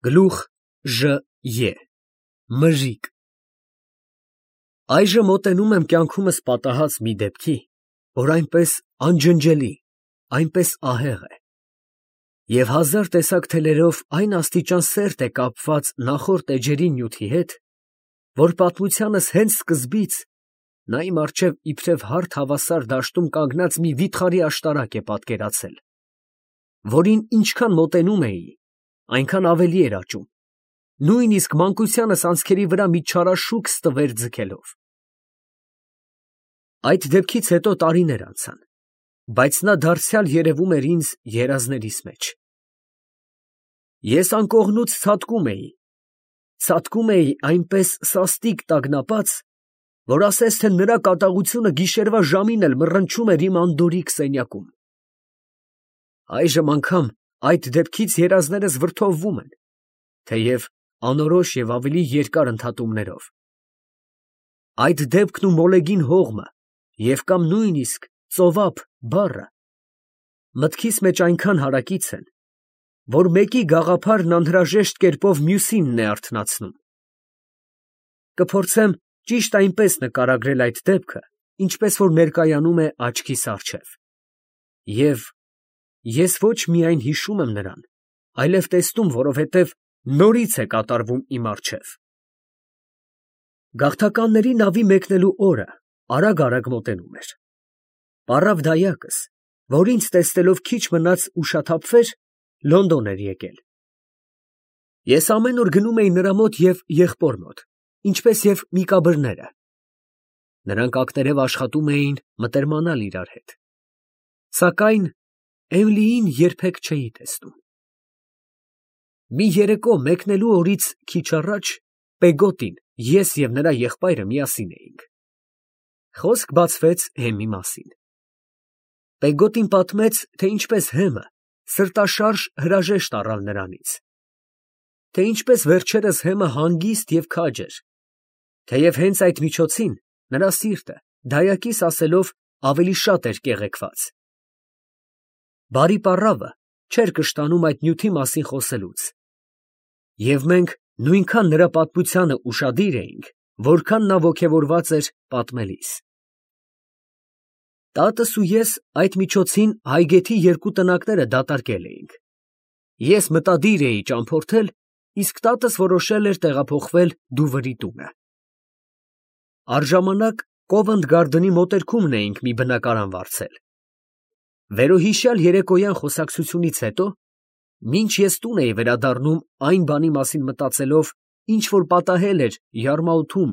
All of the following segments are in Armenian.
Գլուխ Ժ. Մժիկ։ Այժմ մոտենում եմ կյանքումս պատահած մի դեպքի, որ այնպես անջնջելի, այնպես ահեղ է, և հազար տեսակ թելերով այն աստիճան սերտ է կապված նախորդ էջերի նյութի հետ, որ պատմությանս հենց սկզբից նա իմ առջև իբրև հարթ հավասար դաշտում կանգնած մի վիթխարի աշտարակ է պատկերացել, որին ինչքան մոտենում էի, այնքան ավելի էր աճում, նույնիսկ մանկությանս անցքերի վրա մի չարաշուք ստվեր ձգելով։ Այդ դեպքից հետո տարիներ անցան, բայց նա դարձյալ երևում էր ինձ երազներիս մեջ։ Ես անկողնուց ցատկում էի այնպես սաստիկ տագնապած, որ ասես թե նրա կատաղությունը գիշերվա ժամին էլ մռնչում էր իմ անդորրիկ սենյակում։ Այժմ անգամ այդ դեպքից երազներս վրդովվում են, թեև անորոշ և ավելի երկար ընդհատումներով։ Այդ դեպքն ու մոլեգին հողմը և կամ նույնիսկ ծովափ բառը մտքիս մեջ այնքան հարակից են, որ մեկի գաղափարն անհրաժեշտ կերպով մյուսինն է արթնացնում։ Կփորձեմ ճիշտ այնպես նկարագրել այդ դեպքը, ինչպես որ ներկայանում է աչքիս առջև, և ես ոչ միայն հիշում եմ նրան, այլև տեսնում, որովհետև նորից է կատարվում իմ առջև։ Գաղթականների նավի մեկնելու օրը արագ մոտենում էր։ Պառավ դայակս, որ ինձ տեսնելով քիչ մնաց ուշաթափվեր, Լոնդոն էր եկել։ Ես ամեն օր գնում էի նրա մոտ և եղբոր մոտ, ինչպես և Միկաբրները. նրանք ակներև աշխատում էին մտերմանալ իրար հետ, սակայն Էմիլիին երբեք չէի տեսնում։ Մի երեկո մեկնելու օրից քիչ առաջ Պեգոտին, ես և նրա եղբայրը միասին էինք։ Խոսք բացվեց Հեմի մասին։ Պեգոտին պատմեց, թե ինչպես Հեմը սրտաշարժ հրաժեշտ առավ նրանից, թե ինչպես վերջերս Հեմը հանգիստ և քաջ էր, թեև հենց այդ միջոցին նրա սիրտը, դայակիս ասելով, ավելի շատ էր կեղեքված։ Բարի պառավը չէր կշտանում այդ նյութի մասին խոսելուց, և մենք նույնքան նրա պատմությանը ուշադիր էինք, որքան նա ոգևորված էր պատմելիս։ Տատս ու ես այդ միջոցին Հայգեթի երկու տնակները դատարկել էինք։ Ես մտադիր էի ճամփորդել, իսկ տատս որոշել էր տեղափոխվել Դուվրի տունը։ Առժամանակ Կովենտ Գարդենի մոտերքումն էինք մի բնակարան վարձել։ Վերոհիշյալ երեկոյան խոսակցությունից հետո, մինչ ես տուն էի վերադառնում այն բանի մասին մտածելով, ինչ որ պատահել էր Յարմաութում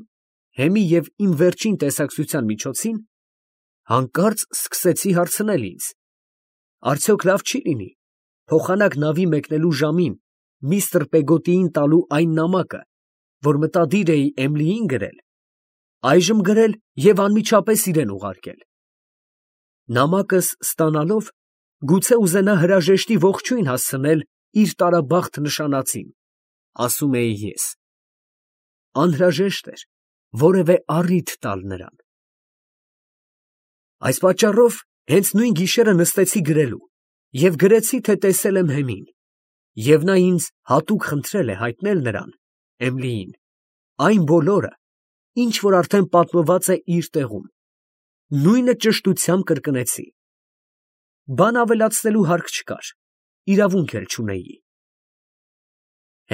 Հեմի և իմ վերջին տեսակցության միջոցին, հանկարծ սկսեցի հարցնել ինձ. արդյոք լավ չի լինի փոխանակ նավի մեկնելու ժամին միստր Պեգոտիին տալու այն նամակը, որ մտադիր էի Էմիլիին գրել, այժմ գրել և անմիջապես իրան ուղարկել։ Նամակս ստանալով, գուցե ուզենա հրաժեշտի ողջույն հասցնել իր տարաբախտ նշանածին, ասում էի ես։ Անհրաժեշտ էր որևէ առիթ տալ նրան։ Այս պատճառով հենց նույն գիշերը նստեցի գրելու և գրեցի, թե տեսել եմ Հեմին, և նա ինձ հատուկ խնդրել է հայտնել նրան, Էմիլիին, այն բոլորը, ինչ որ արդեն պատմված է իր տեղում։ Նույնը ճշտությամբ կրկնեցի։ Բան ավելացնելու հարկ չկար, իրավունք էլ չունեի։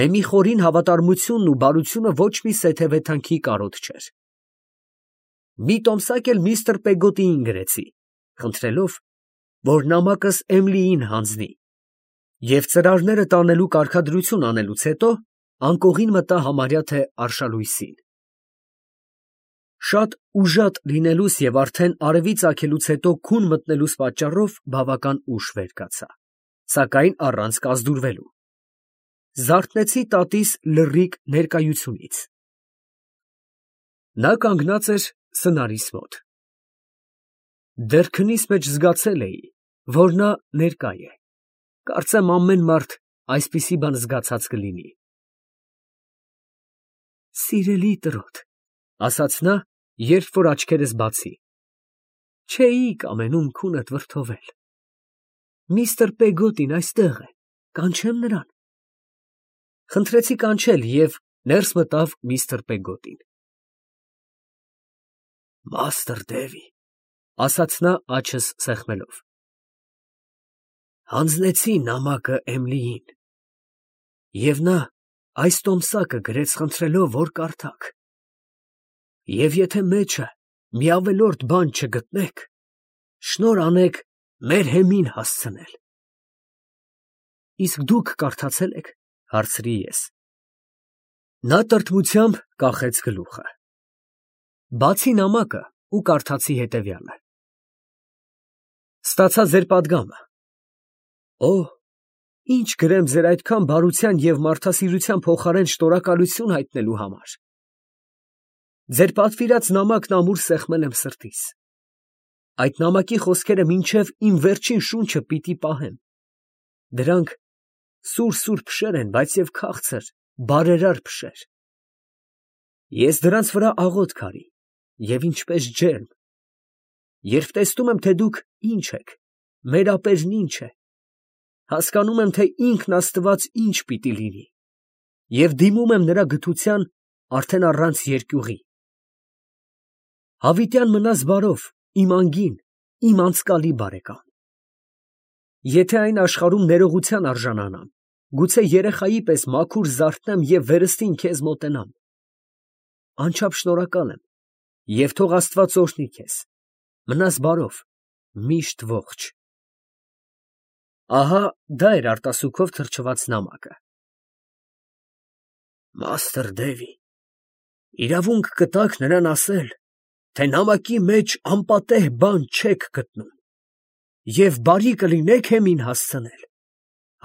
Հեմի խորին հավատարմությունն ու բարությունը ոչ մի սեթևեթանքի կարոտ չէր։ Մի տոմսակ էլ միստր Պեգոտիին գրեցի, խնդրելով, որ նամակս Էմիլիին հանձնի, և ծրարները տանելու կարգադրություն անելուց հետո անկողին մտա համարյա թե արշալույսին։ Շատ ուժատ լինելուս և արդեն արևի ծագելուց հետո քուն մտնելուս պատճառով բավական ուշ վեր կացա, սակայն առանց կազդուրվելու։ Զարթնեցի տատիս լռիկ ներկայությունից։ Նա կանգնած էր սնարիս մոտ։ Դեռ քնիս մեջ զգացել էի, որ նա ներկա է, կարծեմ ամեն մարդ այսպիսի բան զգացած կլինի։ Սիրելի տրոտ, ֊ ասաց նա, երբ որ աչքերս բացի, ֊ չէի կամենում քունդ վրդովել։ Միստր Պեգոտին այստեղ է, կանչե՞մ նրան։ Խնդրեցի կանչել և ներս մտավ միստր Պեգոտին։ Մաստր Դևի, ասաց նա աչքս սեղմելով, հանձնեցի նամակը Էմլիին, և նա այս տոմսակը գրեց խնդրելով, որ կարդաք, և եթե մեջը մի ավելորդ բան չգտնեք, շնորհ անեք մեր հեմին հասցնել։ Իսկ դուք կարդացե՞լ եք, հարցրի ես։ Նա տրտմությամբ կախեց գլուխը։ Բացի նամակը ու կարդացի հետևյալը. Ստացա ձեր պատգամը։ Օ, ինչ գրեմ ձեր այդքան բարության և մարդասիրության փոխարեն շնորհակալություն հայտնելու համար։ Ձեր պատվիրած նամակն ամուր սեղմել եմ սրտիս։ Այդ նամակի խոսքերը մինչև իմ վերջին շունչը պիտի պահեմ։ Դրանք սուր փշեր են, բայց և քաղցր, բարերար փշեր։ Ես դրանց վրա աղոթք արի, և ինչպես ջերմ, երբ տեսնում եմ, թե դուք ինչ եք, մեր ապերն ինչ է, հասկանում եմ, թե ինքն Աստված ինչ պիտի լինի, և դիմում եմ նրա գթության արդեն առանց երկյուղի։ Հավիտյան մնաս բարով, իմ անգին, իմ անցկալի բարեկամ։ Եթե այն աշխարհում ներողության արժանանամ, գուցե երեխայի պես մաքուր զարթնեմ և վերստին քեզ մոտենամ։ Անչափ շնորհակալ եմ, և թող Աստված օրհնի քեզ։ Մնաս բարով, միշտ ողջ։ Ահա դա էր արտասուքով թրջված նամակը։ Մաստր Դևի, իրավունք կտաք նրան ասել, թե նամակի մեջ անպատեհ բան չեք գտնում, և բարի կլինեք հեմին հասցնել,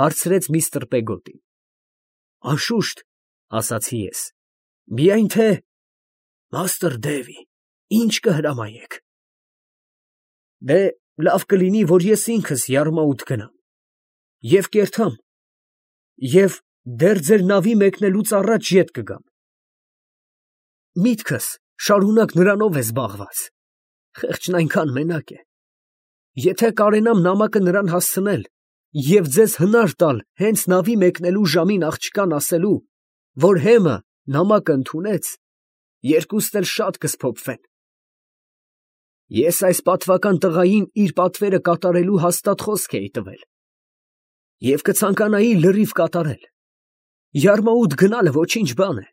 հարցրեց միստր Պեգոտին։ Անշուշտ, ասացի ես, միայն թե… Մաստր Դևի, ինչ կհրամայեք։ Դե, լավ կլինի, որ ես ինքս Յարմաուտ գնամ և կերթամ և դեռ ձեր նավի մեկնելուց առաջ ետ կգամ։ Միտքս շարունակ նրանով է զբաղված, խեղճն այնքան մենակ է։ Եթե կարենամ նամակը նրան հասցնել և ձեզ հնար տալ հենց նավի մեկնելու ժամին աղջկան ասելու, որ հեմը նամակը ընդունեց, երկուստ էլ շատ կսփոփվեն։ Ես այս պատվական տղային իր պատվերը կատարելու հաստատ խոսք էի տվել և կցանկանայի լրիվ կատարել։ Յարմաուտ գնալը ոչինչ բան է,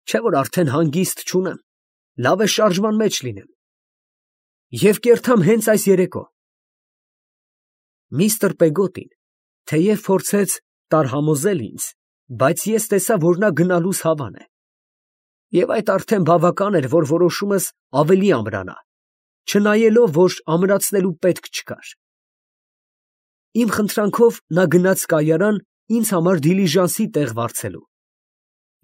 չէ՞ որ արդեն հանգիստ չունեմ, լավ է շարժման մեջ լինեմ։ Եվ կերթամ հենց այս երեկո։ Միստր Պեգոտին թեև փորձեց տարհամոզել ինձ, բայց ես տեսա, որ նա գնալուս հավան է։ Եվ այդ արդեն բավական էր, որ որոշումս ավելի ամրանա, չնայելով, որ ամրացնելու պետք չկար։ Իմ խնդրանքով նա գնաց կայարան ինձ համար դիլիժանսի տեղ վարձելու։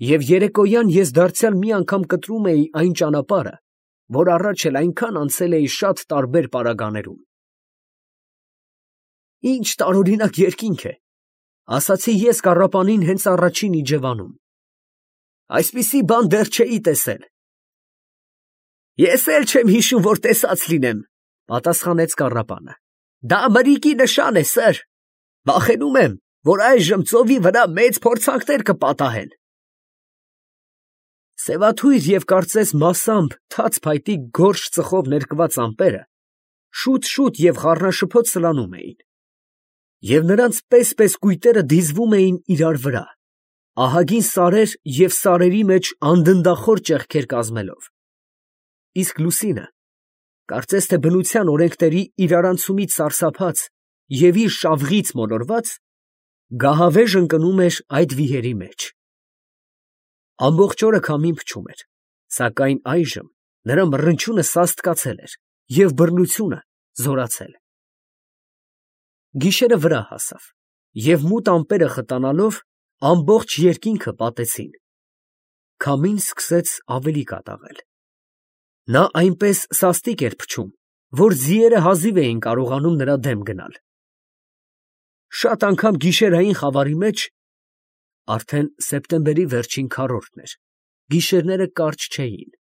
Եվ երեկոյան ես դարձյալ մի անգամ կտրում էի այն ճանապարհը, որ առաջ էլ այնքան անցել էի շատ տարբեր պարագաներում։ Ինչ տարօրինակ երկինք է, ասացի ես կառապանին հենց առաջին իջևանում։ Այսպիսի բան դեռ չէի տեսել։ Ես էլ չեմ հիշում, որ տեսած լինեմ, պատասխանեց կառապանը։ Դա մրիկի նշան է, սըր։ Վախենում եմ, որ այժմ ծովի վրա մեծ փորձանքներ կպատահեն։ Սևաթույր և կարծես մասամբ թաց փայտի գորշ ծխով ներկված ամպերը շուտ և խառնաշփոթ սլանում էին, և նրանց պես կույտերը դիզվում էին իրար վրա, ահագին սարեր և սարերի մեջ անդնդախոր ճեղքեր կազմելով։ Իսկ Լուսինը, կարծես թե բնության օրենքների իրարանցումից սարսափած և իր շավղից մոլորված, գահավեժ ընկնում էր այդ վիհերի մեջ։ Ամբողջ օրը քամին փչում էր, սակայն այժմ նրա մռնչյունը սաստկացել էր և բռնությունը զորացել։ Գիշերը վրա հասավ, և մութ ամպերը խտանալով ամբողջ երկինքը պատեցին։ Քամին սկսեց ավելի կատաղել։ Նա այնպես սաստիկ էր փչում, որ ձիերը հազիվ էին կարողանում նրա դեմ գնալ։ Շատ անգամ գիշերային խավարի մեջ (արդեն սեպտեմբերի վերջին քառորդն էր) գիշերները կարճ չէին։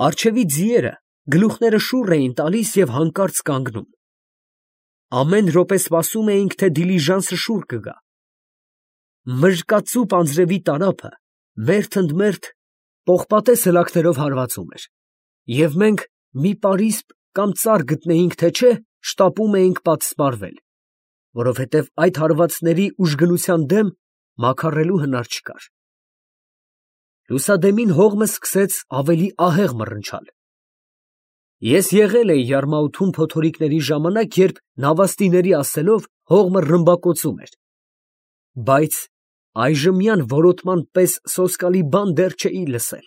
Առջևի ձիերը գլուխները շուռ էին տալիս և հանկարծ կանգնում։ Ամեն րոպե սպասում էինք, թե դիլիժանսը շուռ կգա։ մրկածուփ անձրևի տարափը մերթ ընդ մերթ պողպատե սլաքներով հարվածում էր, և մենք մի պարիսպ կամ ծառ գտնեինք, թե չէ, շտապում էինք պատսպարվել, որովհետև այդ հարվածների ուժգնության դեմ մաքարելու հնար չկար։ Լուսադեմին հողմը սկսեց ավելի ահեղ մռնչալ։ Ես եղել էի Յարմաութում փոթորիկների ժամանակ, երբ նավաստիների ասելով հողմը ռմբակոծում էր, բայց այժմյան որոտման պես սոսկալի բան դեռ չէի լսել։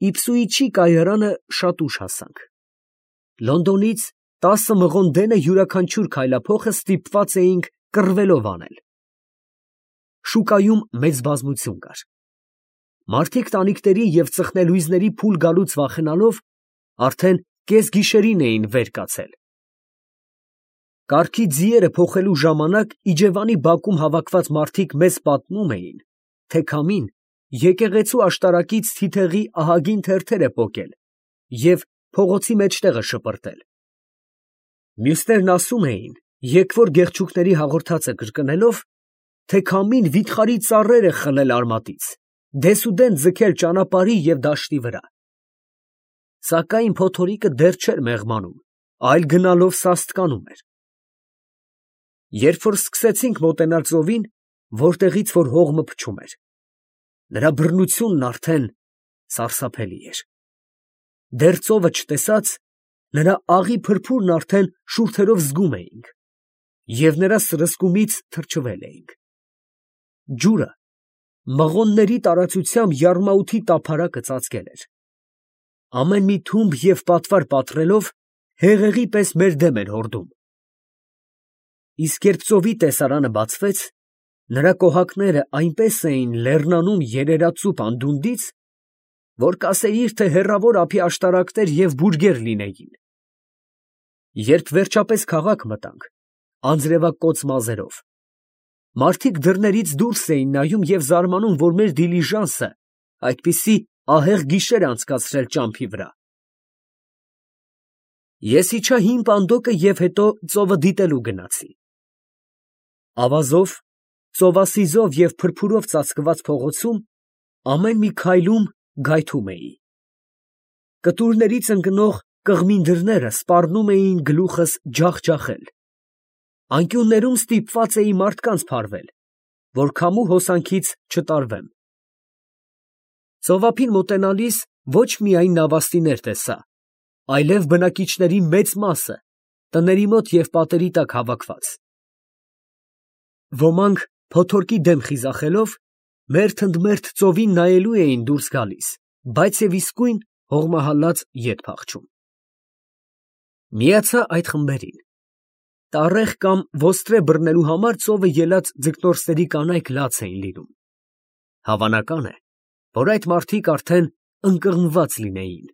Իփսուիչի կայարանը շատ ուշ հասանք։ Լոնդոնից 10 մղոն դենը յուրաքանչյուր քայլափոխը ստիպված էինք կռվելով անել։ Շուկայում մեծ բազմություն կար։ Մարդիկ տանիքների և ծխնելույզների փուլ գալուց վախենալով, արդեն կեսգիշերին էին վեր կացել։ Կառքի ձիերը փոխելու ժամանակ իջևանի բակում հավաքված մարդիկ մեզ պատմում էին, թե քամին եկեղեցու աշտարակից թիթեղի ահագին թերթեր է պոկել և փողոցի մեջտեղը շպրտել։ Մյուսներն ասում էին, եկվոր գեղչուկների հաղորդածը կրկնելով, թե քամին վիթխարի ծառեր է խլել արմատից, դեսուդեն ձգել ճանապարհի և դաշտի վրա։ Սակայն փոթորիկը դեռ չէր մեղմանում, այլ գնալով սաստկանում էր։ Երբ որ սկսեցինք մոտենալ ծովին, որտեղից որ հողմը փչում էր, նրա բռնությունն արդեն սարսափելի էր։ Դեռ ծովը չտեսած, նրա աղի փրփուրն արդեն շուրթերով զգում էինք, և նրա սրսկումից թրջվել էինք։ Ջուրը մղոնների տարածությամբ Յարմաութի տափարակը ծածկել էր։ Ամեն մի թումբ և պատվար պատռելով, հեղեղի պես մեր դեմ էր հորդում։ Իսկ երբ ծովի տեսարանը բացվեց, նրա կոհակները այնպես էին լեռնանում երերածուփ անդունդից, որ կասեիր, թե հեռավոր ափի աշտարակներ և բուրգեր լինեին։ Երբ վերջապես քաղաք մտանք, անձրևակոծ մազերով, մարդիկ դռներից դուրս էին նայում և զարմանում, որ մեր դիլիժանսը այդպիսի ահեղ գիշեր է անցկացրել ճամփի վրա։ Ես իջա հին պանդոկը և հետո ծովը դիտելու գնացի։ Ավազով, ծովասիզով և փրփուրով ծածկված փողոցում ամեն մի քայլում գայթում էի։ Կտուրներից ընկնող կղմին դռները սպառնում էին գլուխս ջախջախել։ Անկյուններում ստիպված էի մարդկանց փարվել, որ քամու հոսանքից չտարվեմ։ Ծովափին մոտենալիս ոչ միայն նավաստիներ տեսա, այլև բնակիչների մեծ մասը, տների մոտ և պատերի տակ հավաքված։ Ոմանք փոթորկի դեմ խիզախելով, մերթ ընդ մերթ ծովին նայելու էին դուրս գալիս, բայց և իսկույն հողմահալած ետ փախչում։ Միացա այդ խմբերին։ Տառեղ կամ ոստրե բռնելու համար ծովը ելած ձկնորսների կանայք լաց էին լինում։ Հավանական է, որ այդ մարդիկ արդեն ընկղմված լինեին։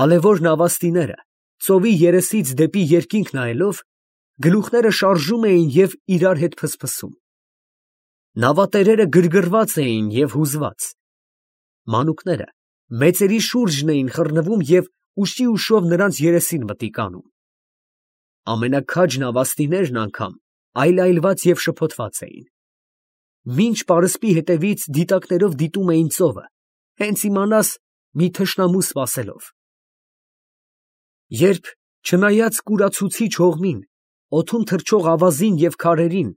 Ալևոր նավաստիները, ծովի երեսից դեպի երկինք նայելով, գլուխները շարժում էին և իրար հետ փսփսում։ Նավատերերը գրգռված էին և հուզված։ Մանուկները մեծերի շուրջն էին խռնվում և ուշի ուշով նրանց երեսին մտիկ անում։ Ամենաքաջ նավաստիներն անգամ այլայլված և շփոթված էին։ Մինչ պարսպի հետևից դիտակներով դիտում էին ծովը, հենց իմանաս մի թշնամու սպասելով։ Երբ, չնայած կուրացուցիչ հողմին, օդում թռչող ավազին և քարերին,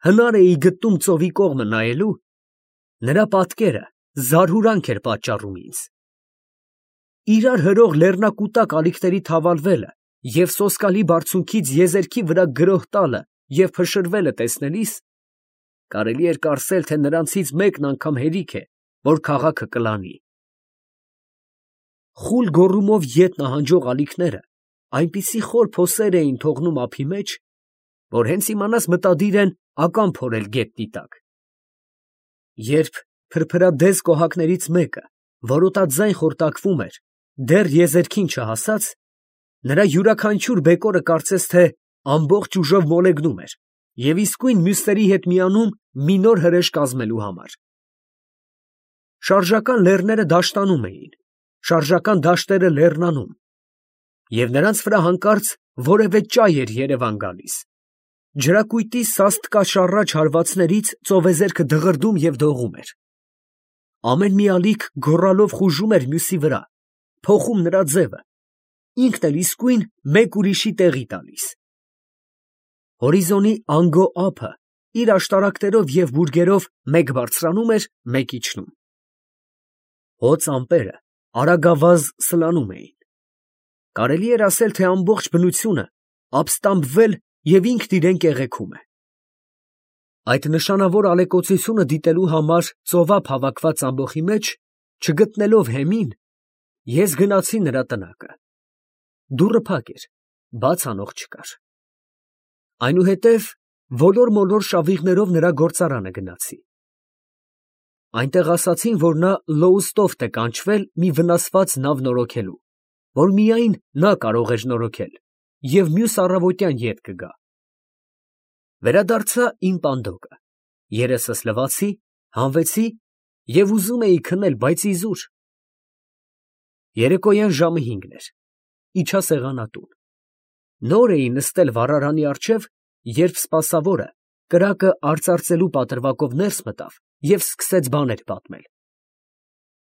հնար էի գտնում ծովի կողմը նայելու, նրա պատկերը զարհուրանք էր պատճառում ինձ։ Իրար հրող լեռնակուտակ ալիքների թավալվելը և սոսկալի բարձունքից եզերքի վրա գրոհ տալը և փշրվելը տեսնելիս, կարելի էր կարծել, թե նրանցից մեկն անգամ հերիք է, որ քաղաքը կլանի։ Խուլ գոռումով ետ նահանջող ալիքները այնպիսի խոր փոսեր էին թողնում ափի մեջ, որ հենց իմանաս մտադիր են ական փորել գետնի տակ։ Երբ փրփրադես կոհակներից մեկը որոտաձայն խորտակվում էր, դեռ եզերքին չհասած, նրա յուրաքանչյուր բեկորը կարծես թե ամբողջ ուժով մոլեգնում էր և իսկույն մյուսների հետ միանում մի նոր հրեշ կազմելու համար։ Շարժական լեռները դաշտանում էին, շարժական դաշտերը լեռնանում, և նրանց վրա հանկարծ որևէ ճայ էր երևան գալիս, Ջրակույտի սաստկաշառաչ հարվածներից ծովեզերքը դղրդում և դողում էր։ Ամեն մի ալիք գոռալով խուժում էր մյուսի վրա, փոխում նրա ձևը, ինքն էլ իսկույն մեկ ուրիշի տեղի տալիս։ Հորիզոնի անգո ափը իր աշտարակներով և բուրգերով մեկ բարձրանում էր, մեկ իջնում։ Հոծ ամպերը արագավազ սլանում էին։ Կարելի էր ասել, թե ամբողջ բնությունը ապստամբվել և ինքն իրեն կեղեքում է։ Այդ նշանավոր ալեկոծությունը դիտելու համար ծովափ հավաքված ամբոխի մեջ, չգտնելով հեմին, ես գնացի նրա տնակը։ Դուռը փակ էր, բաց անող չկար։ Այնուհետև ոլոր֊մոլոր շավիղներով նրա գործարանը գնացի։ Այնտեղ ասացին, որ նա լոուստոֆտ է կանչվել մի վնասված նավ նորոգելու, որ միայն նա կարող էր նորոգել, և մյուս առավոտյան ետ կգա։ Վերադարձա իմ պանդոկը, երեսս լվացի, հանվեցի և ուզում էի քնել, բայց իզուր։ Երեկոյան ժամը 5 էր, իջա սեղանատուն։ Նոր էի նստել վառարանի առջև, երբ սպասավորը կրակը արծարծելու պատրվակով ներս մտավ և սկսեց բաներ պատմել։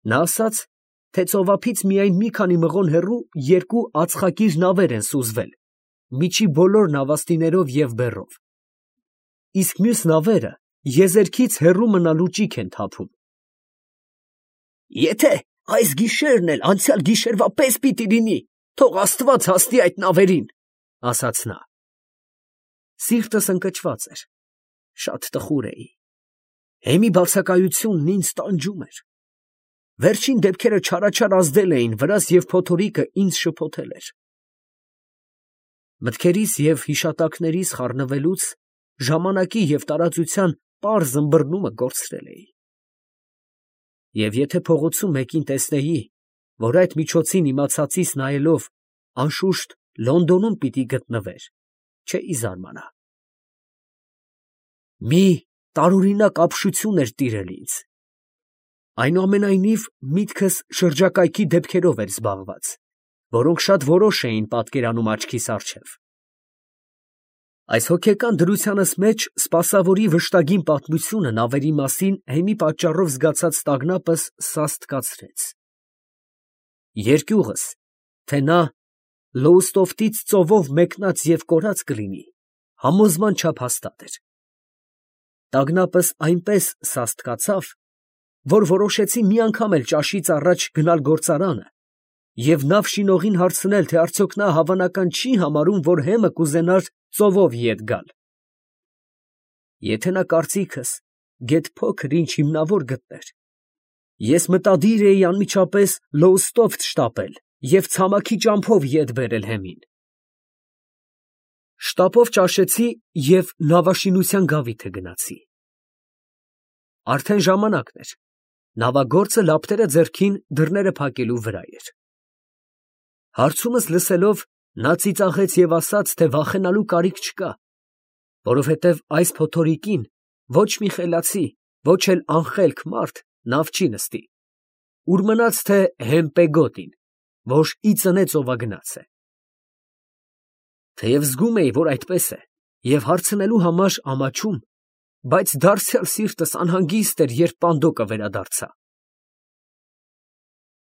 Նա ասաց, թե ծովափից միայն մի քանի մղոն հեռու երկու ածխակիր նավեր են սուզվել, միջի բոլոր նավաստիներով և բեռով, իսկ մյուս նավերը եզերքից հեռու մնալու ճիգ են թափում։ «Եթե այս գիշերն էլ անցյալ գիշերվա պես պիտի լինի, թող աստված հասնի այդ նավերին», ֊ ասաց նա։ Սիրտս ընկճված էր, շատ տխուր էի։ Հեմի բացակայությունն ինձ տանջում էր։ Վերջին դեպքերը չարաչար ազդել էին վրաս և փոթորիկը ինձ շփոթել էր։ Մտքերիս և հիշատակներիս խառնվելուց ժամանակի և տարածության պարզ ըմբռնումը կորցրել էի։ Եվ եթե փողոցում մեկին տեսնեի, որ այդ միջոցին իմացածիս նայելով անշուշտ Լոնդոնում պիտի գտնվեր, չէի զարմանա։ Մի տարօրինակ ապշություն էր տիրել ինձ։ Այնուամենայնիվ միտքս շրջակայքի դեպքերով էր զբաղված, որոնք շատ որոշ էին պատկերանում աչքիս առջև։ Այս հոգեկան դրությանս մեջ սպասավորի վշտագին պատմությունը նավերի մասին հեմի պատճառով զգացած տագնապս սաստկացրեց։ Երկյուղս, թե նա Լոուստոֆտից ծովով մեկնած և կորած կլինի, համոզման չափ հաստատ էր։ Տագնապս այնպես սաստկացավ, որ որոշեցի մի անգամ էլ ճաշից առաջ գնալ գործարանը և նավ շինողին հարցնել, թե արդյոք նա հավանական չի համարում, որ հեմը կուզենար ծովով ետ գալ։ Եթե նա կարծիքս գեթ փոքր ինչ հիմնավոր գտներ, ես մտադիր էի անմիջապես Լոուստոֆտ շտապել և ցամաքի ճամփով ետ բերել հեմին։ Շտապով ճաշեցի և նավաշինության գավիթը գնացի։ Արդեն ժամանակն էր, նավագործը լապտերը ձեռքին դռները փակելու վրա էր։ Հարցումս լսելով, նա ծիծաղեց և ասաց, թե վախենալու կարիք չկա, որովհետև այս փոթորիկին ոչ մի խելացի, ոչ էլ անխելք մարդ նավ չի նստի, ուր մնաց թե Հեմպեգոտին, որ ի ծնե ծովագնաց է։ Թեև զգում էի, որ այդպես է, և հարցնելու համար ամաչում, բայց դարձյալ սիրտս անհանգիստ էր, երբ պանդոկը վերադարձա։